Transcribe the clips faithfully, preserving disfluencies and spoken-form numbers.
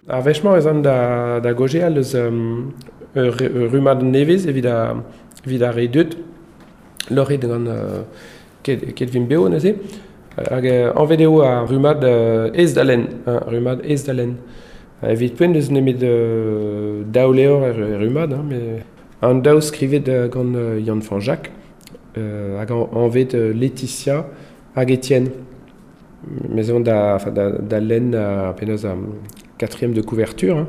Ar wech-mañ ez an da, da gaozeal eus um, ur, ur rummad nevez evit a, evit ar re deut, loc'het gant uh, ket, ket vin beo neuze. Hag uh, anvet eo ar rummad uh, aes da lenn, hein, rummad aes da lenn. Evit poent eus nemet uh, daou levr er, er rummad, hein, met an daou skrivet uh, gant uh, Yann Fanjak, uh, hag an, anvet uh, Laetitia hag Etienne. Mes on da, enfin, da, da lenn uh, penaos um, quatrième de couverture, hein.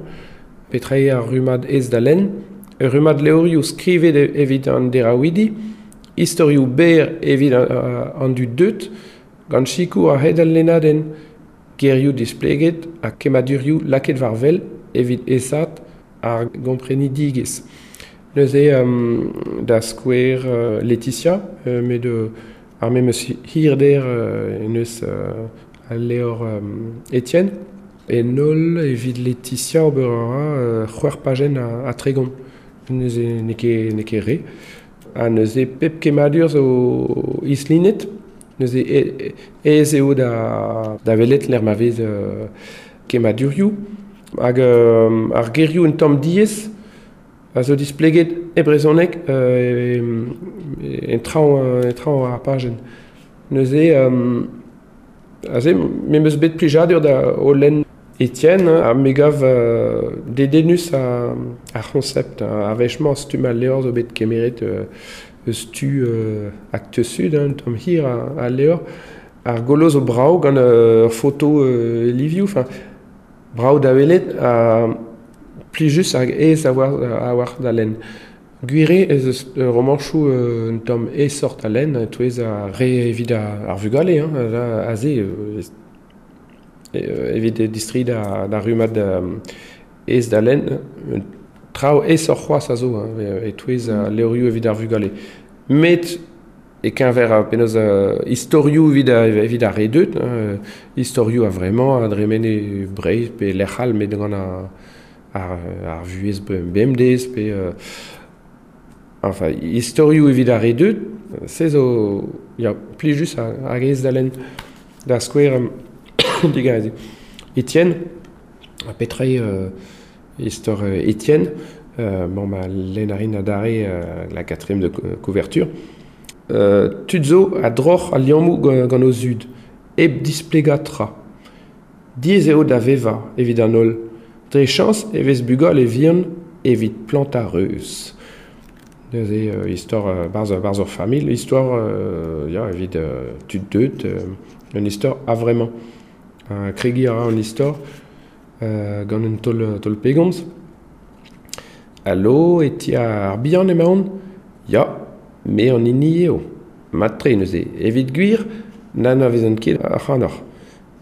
Petra eo ar rummad aes da lenn, ur rummad levrioù skrivet evit an deraouidi, istorioù berr evit an, an dud deut, gant sikour a-hed al lennadenn, gerioù displeget ha kemmadurioù lakaet war wel evit aesaat ar gomprenidigezh. Neuze um, da skouer uh, Laetitia, uh, met uh, ar memes hirder uh, en eus uh, al levr um, Etienne. En holl evit Laetitia ober a ra uh, c'hwec'h pajenn a, a tregont. Neuze n'eo ket, n'eo ket re. Ha neuze pep kemmadur zo islinet. Neuze aes eo da, da welet lec'h ma vez uh, kemmadurioù. Hag uh, ar gerioù un tamm diaes a zo displeget e brezhoneg uh, en traoñ, en traoñ ar pajenn. Neuze, um, aze, me 'm eus bet plijadur da o lenn Etienne, ha me gav uh, dedennus a, ar c'honsept. Ar wech-mañ stumm al levr zo bet kemeret uh, eus tu uh, Actes Sud, hein, un tamm hir al levr. Ar golo zo brav gant ur uh, foto uh, livioù, enfin, brav da welet, ha plijus hag aes a war, a war da lenn. Gwir eo ez eus romanchoù uh, un tamm aesoc'h da lenn, e-touez ar re evit ar, ar vugale, hein, aze, euh, evit distreiñ da, da rummad um, aes da lenn, traoù aesoc'h c'hoazh a zo, hein, e-touez al levrioù evit ar vugale. Met e-keñver ar penaos uh, istorioù evit, evit ar re deut, hein, istorioù a vremañ a dremen e Breizh pe lec'h all met gant ar, ar, ar vuhez bemdez pe uh, enfin, istorioù evit ar re deut, se zo ya, plijus hag aes da lenn. Da skouer, um, digarez. Etienne, ha petra eo euh, istor euh, Etienne, euh, bon, ma lenn a rin adarre euh, la quatrième de couverture. Euh, tud zo a droc'h al liammoù gant o zud, hep displegañ tra. Diaes eo da vevañ evit an holl. Dre chañs e vez bugale vihan evit plantañ reuz. Neuze euh, istor euh, barzh, barzh ur familh, istor euh, ya, evit euh, tud deut, euh, un istor a vremañ. Uh, kregiñ a ra an istor uh, gant un taol, taol pegomz. Allo, e ti ar bihan emaon? Ya, me an hini eo. Mat-tre neuze. Evit gwir, n'anavezan ket ac'hanoc'h.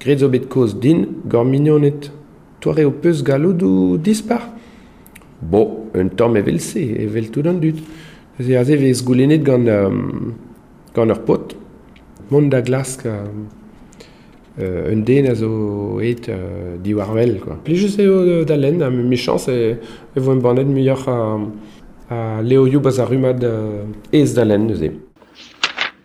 Graet zo bet kaoz din gant mignoned. Doare ho peus galloudoù dispar? Bo, un tamm evel-se, evel tout an dud. Neuze aze vez goulennet gant, um, gant ur paotr. Mont da glask uh, euh, un den a zo aet uh, diwar wel, quoi. Plijus eo da lenn, ha mechañs e, e vo embannet muioc'h a, a levrioù barzh ar rummad uh, aes da lenn neuze.